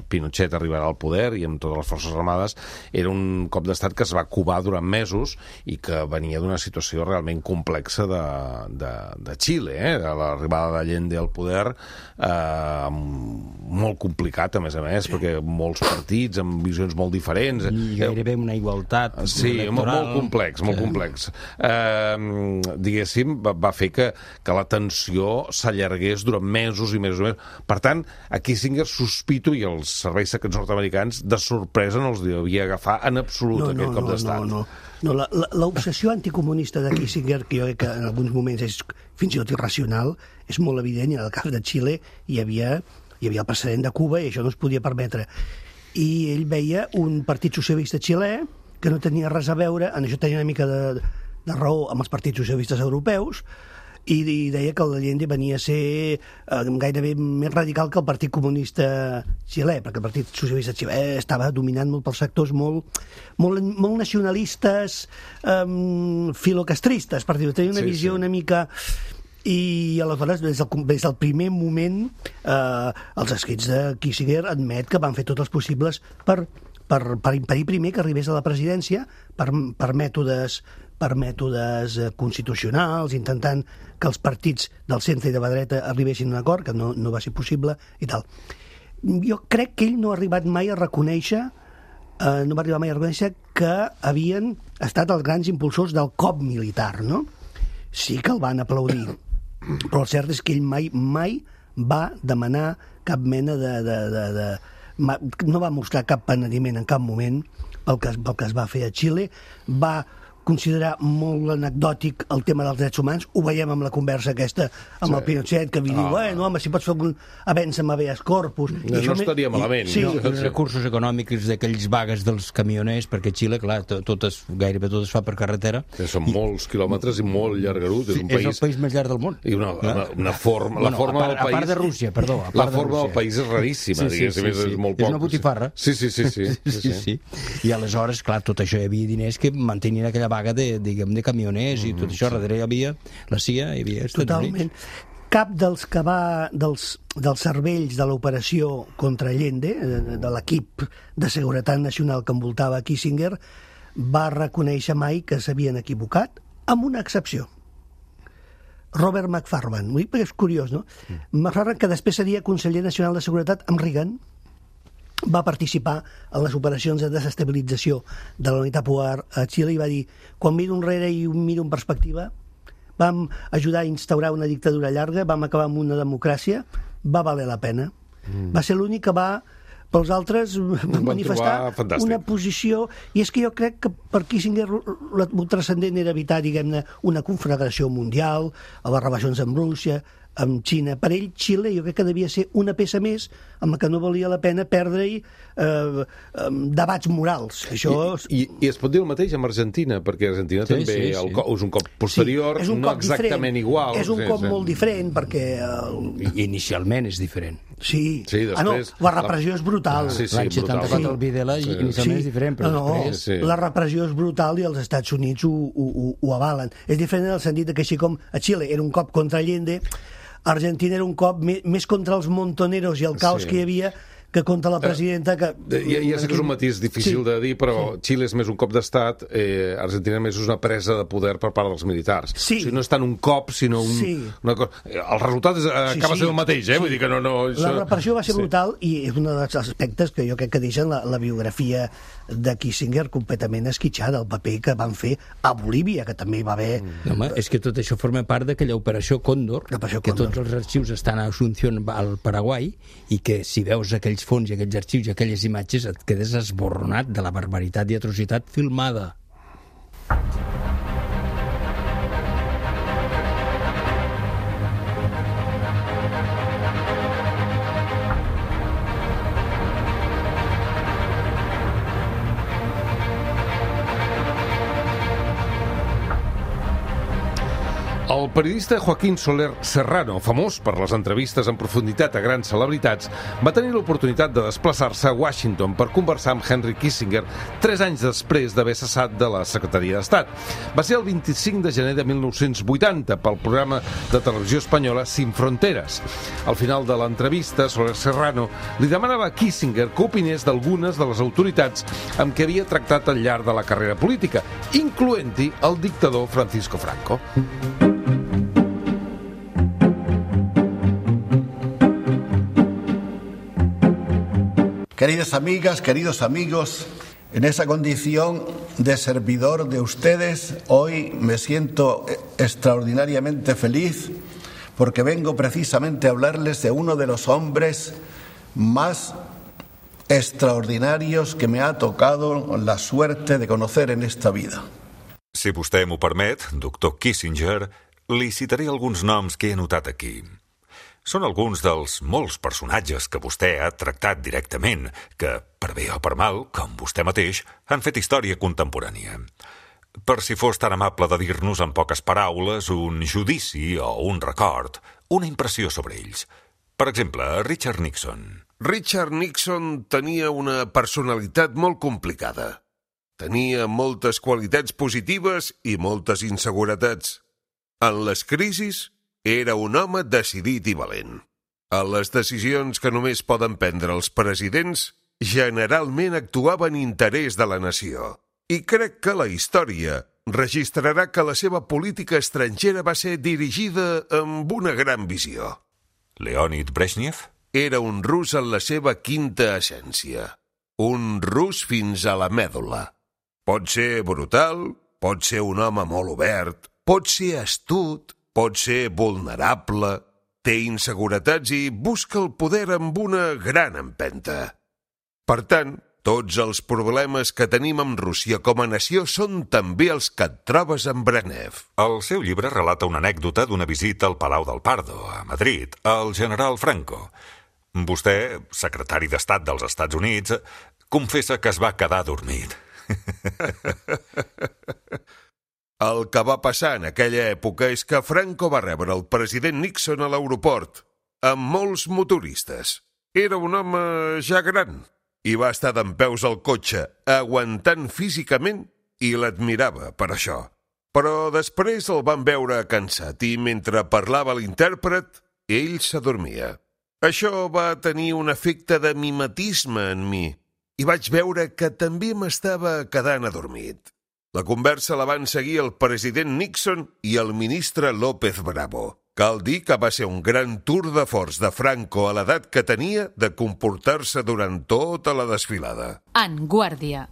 Pinochet arribarà al poder i amb totes les forces armades, era un cop d'estat que es va covar durant mesos i que venia d'una situació realment complexa de Xile, de l'arribada d'Allende al poder, molt complicat, a més, perquè molts partits amb visions molt diferents. I gairebé una igualtat electoral. Molt complex. Diguéssim, va fer que la tensió s'allargués durant mesos i mesos i mesos. Per tant, a Kissinger sospito, i els serveis secrets nord-americans, de sorpresa no els devia agafar en absolut aquest cop d'estat. No, l'obsessió anticomunista de Kissinger, que jo crec que en alguns moments és fins i tot irracional, és molt evident, i en el cas de Xile hi havia el precedent de Cuba i això no es podia permetre. I ell veia un partit socialista xilè que no tenia res a veure, en això tenia una mica de raó amb els partits socialistes europeus, i deia que l'Allende venia a ser gairebé més radical que el Partit Comunista xilè, perquè el Partit Socialista xilè estava dominat molt pels sectors molt nacionalistes, filocastristes, per dir-ho. Tenia una visió una mica... I aleshores, des del primer moment, els escrits de Kissinger admet que van fer tots els possibles per impedir primer que arribés a la presidència per mètodes constitucionals, intentant que els partits del centre i de la dreta arribessin a un acord, que no va ser possible i tal. Jo crec que ell no ha arribat mai a reconèixer que havien estat els grans impulsors del cop militar, no? Sí que el van aplaudir, però el cert és que ell mai va demanar cap mena no va mostrar cap penediment en cap moment pel que es va fer a Xile. Va considerar molt anecdòtic el tema dels drets humans. Ho veiem amb la conversa aquesta amb el Pinochet, que li diu, home, si pots fer algun avenç amb habeas corpus... No estaria malament. Sí, els recursos econòmics d'aquells vagues dels camioners, perquè Xile, clar, gairebé tot es fa per carretera. Són molts quilòmetres i molt llargarut. És el país més llarg del món. I una forma... La forma del país... A part de Rússia, perdó. La forma del país és raríssima, diguéssim, és molt poc. És una botifarra. Sí. I aleshores, clar, tot això hi havia diners que mantenien aquella vaga de camioners i tot això. Darrere hi havia la CIA, hi havia Estats Units. Units. Cap dels cervells de l'operació contra Allende, de l'equip de seguretat nacional que envoltava Kissinger, va reconèixer mai que s'havien equivocat, amb una excepció. Robert McFarlane, perquè és curiós, no? McFarlane, que després seria conseller nacional de seguretat amb Reagan, va participar en les operacions de desestabilització de la unitat popular a Xile i va dir, quan miro enrere i miro en perspectiva, vam ajudar a instaurar una dictadura llarga, vam acabar amb una democràcia, va valer la pena. Va ser l'únic que va, pels altres, manifestar una posició, i és que jo crec que per Kissinger el transcendent era evitar, diguem-ne, una conflagració mundial, a les relacions amb Rússia, amb Xina. Per ell, Xile, jo crec que devia ser una peça més amb la que no valia la pena perdre-hi debats morals. I es pot dir el mateix amb Argentina, perquè Argentina també és un cop posterior, no exactament igual. És un cop molt diferent, perquè... Inicialment és diferent. Sí. Després... la repressió és brutal. L'any 74 el Videla inicialment és diferent, però després... La repressió és brutal i els Estats Units ho avalen. És diferent en el sentit que així com a Xile era un cop contra Allende, Argentina era un cop més contra els montoneros i el caos que hi havia que contra la presidenta... Ja sé que és un matís difícil de dir, però Xile és més un cop d'estat, Argentina més és una presa de poder per part dels militars. O sigui, no és tant un cop, sinó una cosa... El resultat acaba sent el mateix, Vull dir que no... La repressió va ser brutal i és un dels aspectes que jo crec que deixen la biografia de Kissinger completament esquitxada, el paper que van fer a Bolívia, que també hi va haver... Home, és que tot això forma part d'aquella operació Còndor, que tots els arxius estan a Asunción, al Paraguai, i que si veus aquells fons i aquells arxius i aquelles imatges et quedes esborronat de la barbaritat i atrocitat filmada. El periodista Joaquín Soler Serrano, famós per les entrevistes en profunditat a grans celebritats, va tenir l'oportunitat de desplaçar-se a Washington per conversar amb Henry Kissinger 3 anys després d'haver cessat de la Secretaria d'Estat. Va ser el 25 de gener de 1980 pel programa de televisió espanyola Sin Fronteras. Al final de l'entrevista, Soler Serrano li demanava a Kissinger que opinés d'algunes de les autoritats amb què havia tractat al llarg de la carrera política, incloent-hi el dictador Francisco Franco. Queridas amigas, queridos amigos, en esa condición de servidor de ustedes, hoy me siento extraordinariamente feliz porque vengo precisamente a hablarles de uno de los hombres más extraordinarios que me ha tocado la suerte de conocer en esta vida. Si vostè m'ho permet, doctor Kissinger, li citaré alguns noms que he anotat aquí. Són alguns dels molts personatges que vostè ha tractat directament, que, per bé o per mal, com vostè mateix, han fet història contemporània. Per si fos tan amable de dir-nos en poques paraules un judici o un record, una impressió sobre ells. Per exemple, Richard Nixon. Richard Nixon tenia una personalitat molt complicada. Tenia moltes qualitats positives i moltes inseguretats. En les crisis, era un home decidit i valent. A les decisions que només poden prendre els presidents, generalment actuava en interès de la nació. I crec que la història registrarà que la seva política estrangera va ser dirigida amb una gran visió. Leonid Brezhnev? Era un rus en la seva quinta essència. Un rus fins a la mèdula. Pot ser brutal, pot ser un home molt obert, pot ser astut, pot ser vulnerable, té inseguretats i busca el poder amb una gran empenta. Per tant, tots els problemes que tenim amb Rússia com a nació són també els que et trobes amb Brezhnev. El seu llibre relata una anècdota d'una visita al Palau del Pardo, a Madrid, al general Franco. Vostè, secretari d'Estat dels Estats Units, confessa que es va quedar adormit. El que va passar en aquella època és que Franco va rebre el president Nixon a l'aeroport, amb molts motoristes. Era un home ja gran i va estar dempeus al cotxe, aguantant físicament, i l'admirava per això. Però després el van veure cansat i mentre parlava l'intèrpret, ell s'adormia. Això va tenir un efecte de mimetisme en mi i vaig veure que també m'estava quedant adormit. La conversa la van seguir el president Nixon i el ministre López Bravo. cal dir que va ser un gran tour de forç de Franco a l'edat que tenia de comportar-se durant tota la desfilada. En Guàrdia.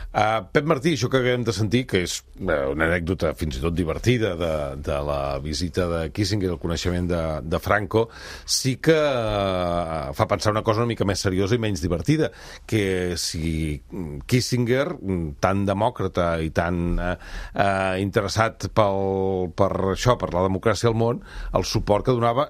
Pep Martí, això que acabem de sentir, que és una anècdota fins i tot divertida de la visita de Kissinger, el coneixement de Franco, sí que fa pensar una cosa una mica més seriosa i menys divertida, que si Kissinger, tan demòcrata i tan interessat per això, per la democràcia al món, el suport que donava,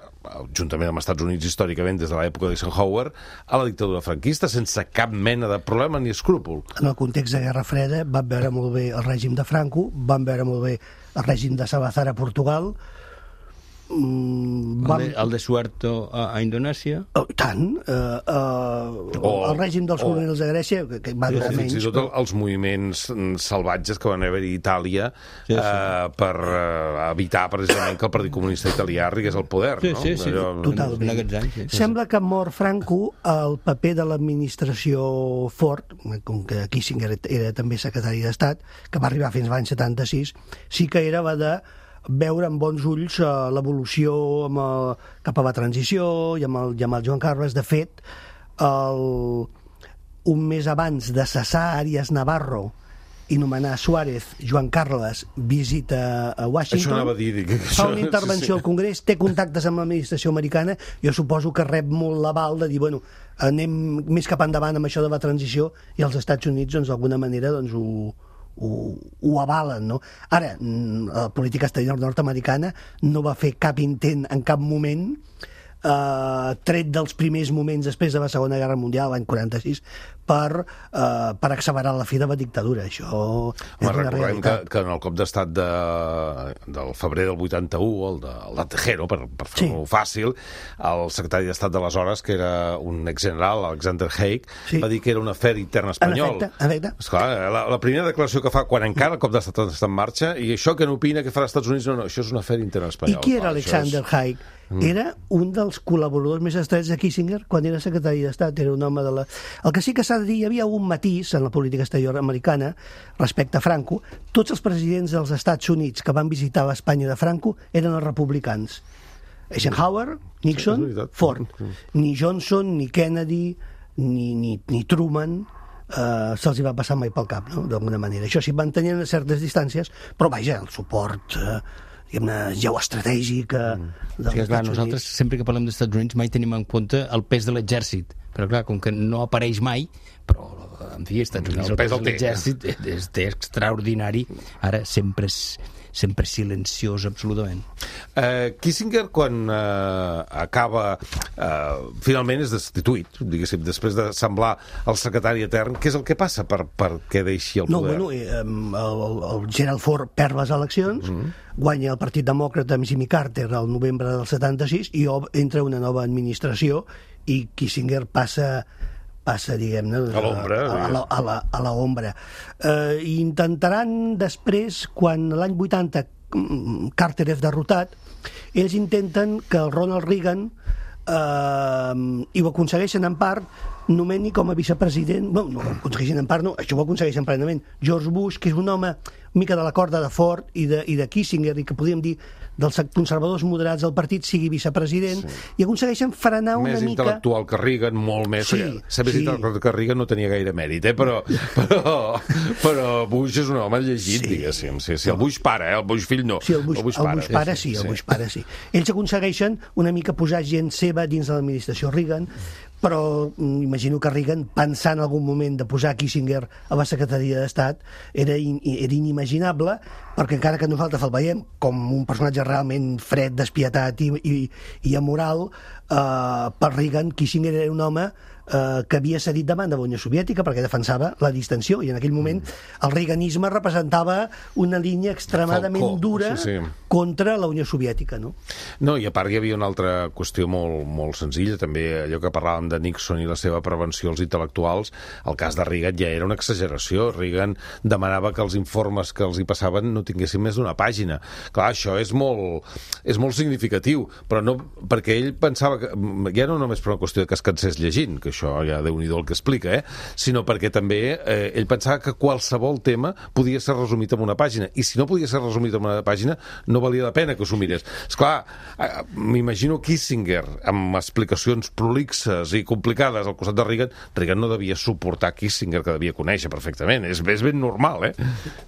juntament amb els Estats Units històricament des de l'època d'Eisenhower, a la dictadura franquista, sense cap mena de problema ni escrúpol. En el context de Guerra Freda van veure molt bé el règim de Franco, van veure molt bé el règim de Salazar a Portugal, el de Suharto a Indonèsia, tant el règim dels colonials de Grècia, que va durar menys, fins i tot els moviments salvatges que van haver a Itàlia per evitar precisament que el Partit Comunista Italià arribés al poder, no? Sí, totalment. Sembla que mort Franco, el paper de l'administració Ford, com que Kissinger era també secretari d'Estat, que va arribar fins l'any 76, sí que era de veure amb bons ulls l'evolució cap a la transició i amb el Joan Carles. De fet, un mes abans de cessar Arias Navarro i nomenar Suárez, Joan Carles visita a Washington, això anava a dir, fa una intervenció al Congrés, té contactes amb l'administració americana, jo suposo que rep molt l'aval de dir, bueno, anem més cap endavant amb això de la transició, i els Estats Units, doncs, d'alguna manera, doncs, ho avalen, no? Ara, la política exterior nord-americana no va fer cap intent en cap moment, tret dels primers moments després de la Segona Guerra Mundial, l'any 46, per accelerar la fi de la dictadura. Això és una realitat. Que en el cop d'estat del febrer del 81, el de Tejero, per fer-ho fàcil, el secretari d'Estat d'aleshores, que era un exgeneral, Alexander Haig, va dir que era un afer intern espanyol. En efecte. Esclar, la primera declaració que fa quan encara el cop d'estat està en marxa, i això que n'opina que farà als Estats Units, no, això és un afer intern espanyol. I qui era Alexander Haig? Era un dels col·laboradors més estrets de Kissinger quan era secretari d'Estat, era un home de la... El que sí que s'ha de dir, hi havia un matís en la política exterior americana respecte a Franco. Tots els presidents dels Estats Units que van visitar l'Espanya de Franco eren els republicans. Eisenhower, Nixon, Ford. Ni Johnson, ni Kennedy, ni Truman se'ls hi va passar mai pel cap, no? D'alguna manera. Això sí, van tenir certes distàncies, però vaja, el suport geoestratègic dels Estats Units. Nosaltres, sempre que parlem dels Estats Units, mai tenim en compte el pes de l'exèrcit, però clar, com que no apareix mai, però en fi, als Estats Units el pes de l'exèrcit és extraordinari, ara sempre silenciós absolutament. Kissinger, quan acaba finalment és destituït, diguéssim, després de semblar el secretari etern, què és el que passa per què deixi el poder? El Gerald Ford perd les eleccions, guanya el Partit Demòcrata amb Jimmy Carter al novembre del 76 i entra una nova administració i Kissinger passa diguem-ne, a l'ombra. Intentaran després, quan l'any 80 Carter és derrotat, ells intenten que el Ronald Reagan, i ho aconsegueixen en part, nomeni com a vicepresident, no ho aconsegueixen en part, no, això ho aconsegueixen plenament, George Bush, que és un home mica de la corda de Ford i de Kissinger, i que podríem dir dels conservadors moderats del partit, sigui vicepresident, i aconsegueixen frenar una mica... Més intel·lectual que Reagan, molt més... Ser més intel·lectual que Reagan no tenia gaire mèrit, però Bush és un home llegit, diguéssim. Sí, el Bush pare, el Bush fill no. Sí, el Bush pare sí. Ells aconsegueixen una mica posar gent seva dins de l'administració Reagan, però imagino que Reagan, pensant en algun moment de posar Kissinger a la secretaria d'Estat, era inimaginable, perquè encara que nosaltres el veiem com un personatge realment fred, despietat i amoral, per Reagan Kissinger era un home que havia cedit davant de la Unió Soviètica perquè defensava la distensió, i en aquell moment el reaganisme representava una línia extremadament dura contra la Unió Soviètica, no? No, i a part hi havia una altra qüestió molt senzilla, també allò que parlàvem de Nixon i la seva prevenció als intel·lectuals, el cas de Reagan ja era una exageració. Reagan demanava que els informes que els hi passaven no tinguessin més d'una pàgina. Clar, això és molt significatiu, però no perquè ell pensava que ja no només per una qüestió de que es cansés llegint, que això ja Déu-n'hi-do el que explica, sinó perquè també ell pensava que qualsevol tema podia ser resumit en una pàgina, i si no podia ser resumit en una pàgina no valia la pena que s'ho mirés. Esclar, m'imagino Kissinger amb explicacions prolixes i complicades al costat de Reagan. Reagan no devia suportar Kissinger, que devia conèixer perfectament. És ben normal,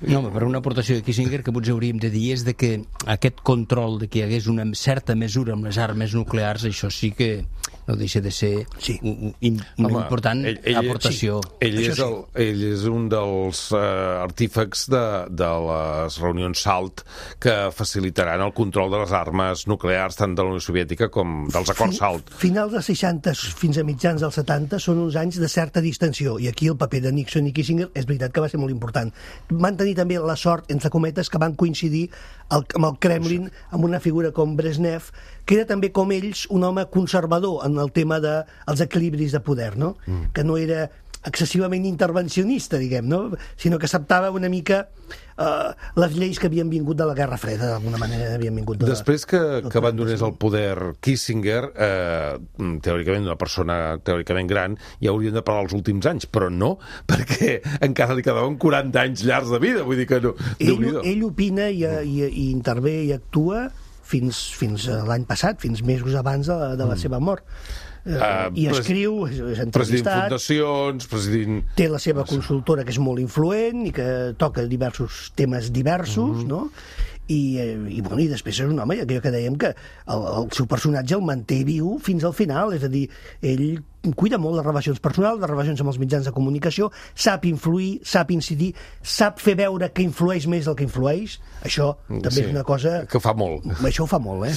No, però una aportació de Kissinger que potser hauríem de dir és de que aquest control de que hi hagués una certa mesura amb les armes nuclears, això sí que no deixa de ser una important aportació. Ell és un dels artífecs de les reunions SALT que facilitaran el control de les armes nuclears tant de la Unió Soviètica com dels acords SALT. Finals dels 60 fins a mitjans dels 70 són uns anys de certa distensió, i aquí el paper de Nixon i Kissinger és veritat que va ser molt important. Van tenir també la sort, entre cometes, que van coincidir amb el Kremlin, amb una figura com Brezhnev, que era també com ells un home conservador en el tema dels equilibris de poder, no? Que no era excessivament intervencionista, diguem, no? Sinó que acceptava una mica les lleis que havien vingut de la Guerra Freda, d'alguna manera havien vingut Després que abandonés el poder Kissinger, teòricament una persona teòricament gran, ja haurien de parlar els últims anys, però no, perquè encara li quedaven 40 anys llargs de vida, vull dir que no. Ell opina i intervé i actua fins l'any passat, fins mesos abans de la seva mort. I escriu, és entrevistat, té la seva consultora que és molt influent i que toca diversos temes diversos, no? I després és un home, allò que dèiem, que el seu personatge el manté viu fins al final, és a dir, ell cuida molt les relacions personals, les relacions amb els mitjans de comunicació, sap influir, sap incidir, sap fer veure que influeix més del que influeix. Això també és una cosa que fa molt. Això ho fa molt,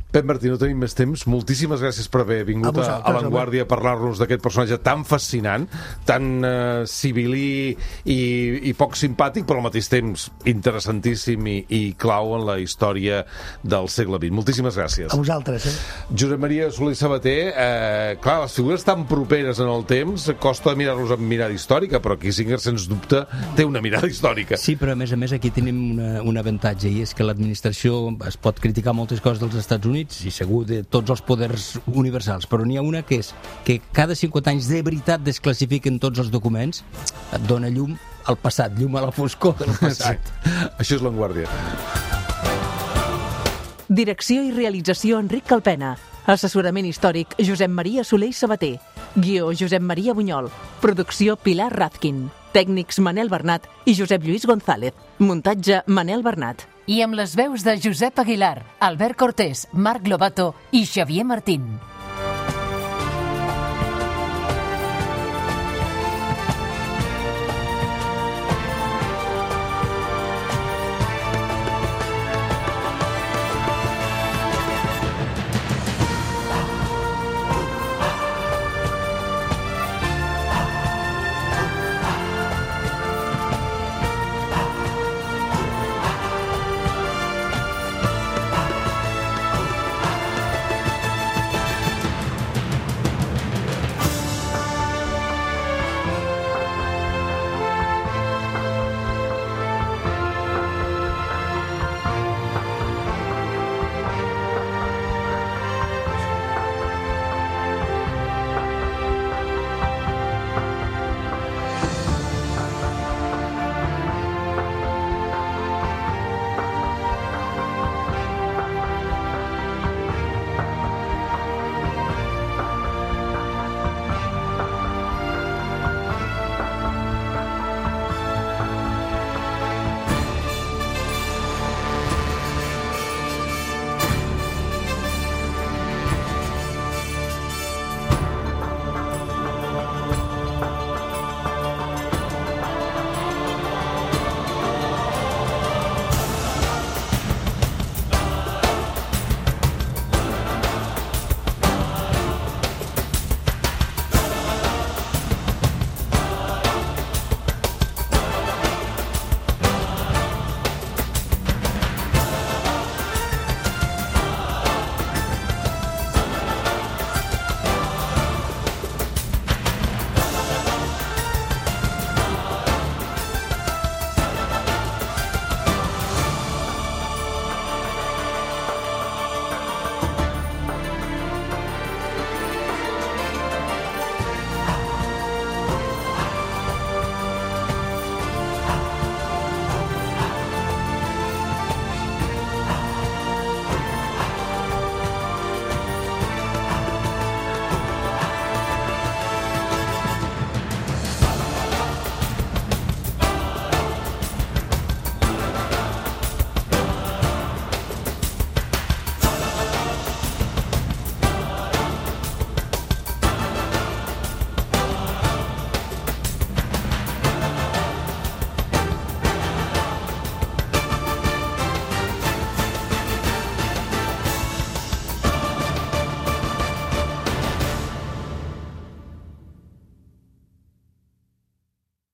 Pep Martí, no tenim més temps. Moltíssimes gràcies per haver vingut a Vanguardia a parlar-nos d'aquest personatge tan fascinant, tan civilí i poc simpàtic, però al mateix temps interessantíssim i clau en la història del segle XX. Moltíssimes gràcies. A vosaltres, Josep Maria Soler i Sabater, clar, les figures tan properes en el temps, costa mirar-los amb mirada històrica, però Kissinger, sens dubte, té una mirada històrica. Sí, però a més aquí tenim un avantatge, i és que l'administració es pot criticar moltes coses dels Estats Units, i segur de tots els poders universals, però n'hi ha una que és que cada 50 anys de veritat desclassifiquen tots els documents, et dona llum al passat, llum a la foscor del passat. Sí. Això és Vanguardia. Direcció i realització Enric Calpena. Assessorament històric Josep Maria Soler i Sabater. Guió Josep Maria Bunyol. Producció Pilar Razkin. Tècnics Manel Bernat i Josep Lluís González. Muntatge Manel Bernat. I amb les veus de Josep Aguilar, Albert Cortés, Marc Lobato i Xavier Martín.